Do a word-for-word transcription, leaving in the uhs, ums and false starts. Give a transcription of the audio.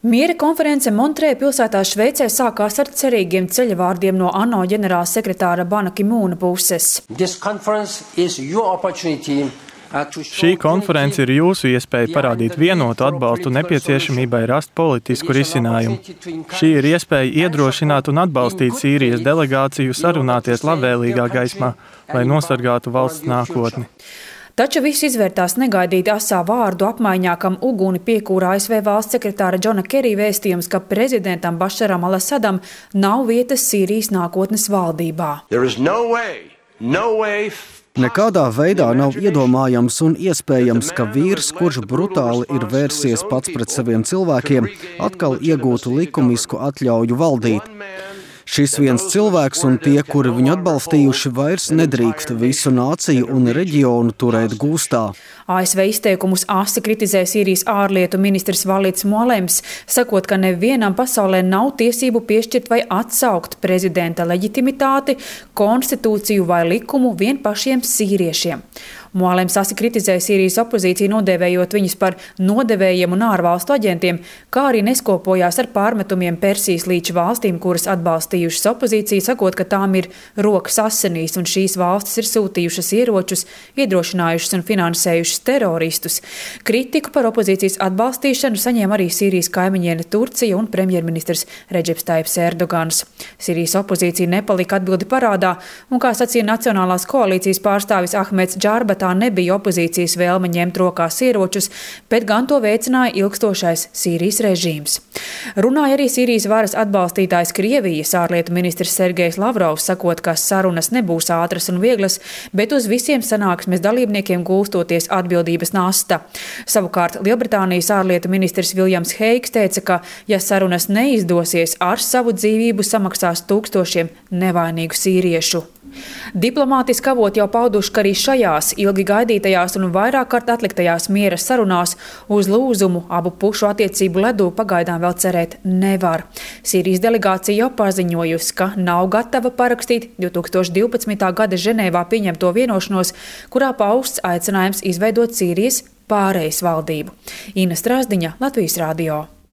Miera konference Montrē pilsētā Šveicē sākās ar cerīgiem ceļavārdiem no ANO ģenerāla sekretāra Bana Ki-mūna puses. Šī konference ir jūsu iespēja parādīt vienotu atbalstu nepieciešamībai rast politisku risinājumu. Šī ir iespēja iedrošināt un atbalstīt Sīrijas delegāciju sarunāties labvēlīgā gaismā, lai nosargātu valsts nākotni. Taču viss izvērtās negaidīti asā vārdu apmaiņā, kam uguni piekūra A S V valsts sekretāra Džona Kerija vēstījums, ka prezidentam Bašaram al-Asadam nav vietas Sīrijas nākotnes valdībā. No way, no way. Nekādā veidā nav iedomājams un iespējams, ka vīrs, kurš brutāli ir vērsies pats pret saviem cilvēkiem, atkal iegūtu likumisku atļauju valdīt. Šis viens cilvēks un tie, kuri viņu atbalstījuši, vairs nedrīkst visu nāciju un reģionu turēt gūstā. A S V izteikumus asi kritizē Sīrijas ārlietu ministrs Valīds Mualems, sakot, ka nevienam pasaulē nav tiesību piešķirt vai atsaukt prezidenta leģitimitāti, konstitūciju vai likumu vien pašiem sīriešiem. Mualems asi kritizē Sīrijas opozīciju, nodēvējot viņus par nodevējiem un ārvalstu aģentiem, kā arī neskopojās ar pārmetumiem Persijas līča valstīm, kuras atbalstījušas opozīciju, sakot, ka tām ir rokas asinīs un šīs valstis ir sūtījušas ieročus, iedrošinājušas un finansējušas teroristus. Kritiku par opozīcijas atbalstīšanu saņēma arī Sīrijas kaimiņiene Turcija un premjerministrs Redžeps Taips Erdogans. Sīrijas opozīcija nepalika atbildi parādā, un, kā sacīja Nacionālās koalīcijas pārstāvis Ahmeds Džārba, tā nebija opozīcijas vēlme ņemt rokās ieročus, bet gan to veicināja ilgstošais Sīrijas režīms. Runāja arī Sīrijas varas atbalstītājs Krievijas ārlietu ministrs Sergejs Lavrovs, sakot, ka sarunas nebūs ātras un vieglas, bet uz visiem sanāksmes dalībniekiem gulstoties atbildības nasta. Savukārt Lielbritānijas ārlietu ministrs Viljams Heigs teica, ka, ja sarunas neizdosies, ar savu dzīvību samaksās tūkstošiem nevainīgu sīriešu. Diplomātiski avoti jau pauduši, ka arī šajās ilgi gaidītajās un vairāk kārt atliktajās miera sarunās uz lūzumu abu pušu attiecību ledū pagaidām vēl cerēt nevar. Sīrijas delegācija jau paziņojusi, ka nav gatava parakstīt divi tūkstoši divpadsmitā gada Ženēvā pieņemto vienošanos, kurā pausts aicinājums izveidot Sīrijas pārejas valdību. Ina Strāzdiņa, Latvijas radio.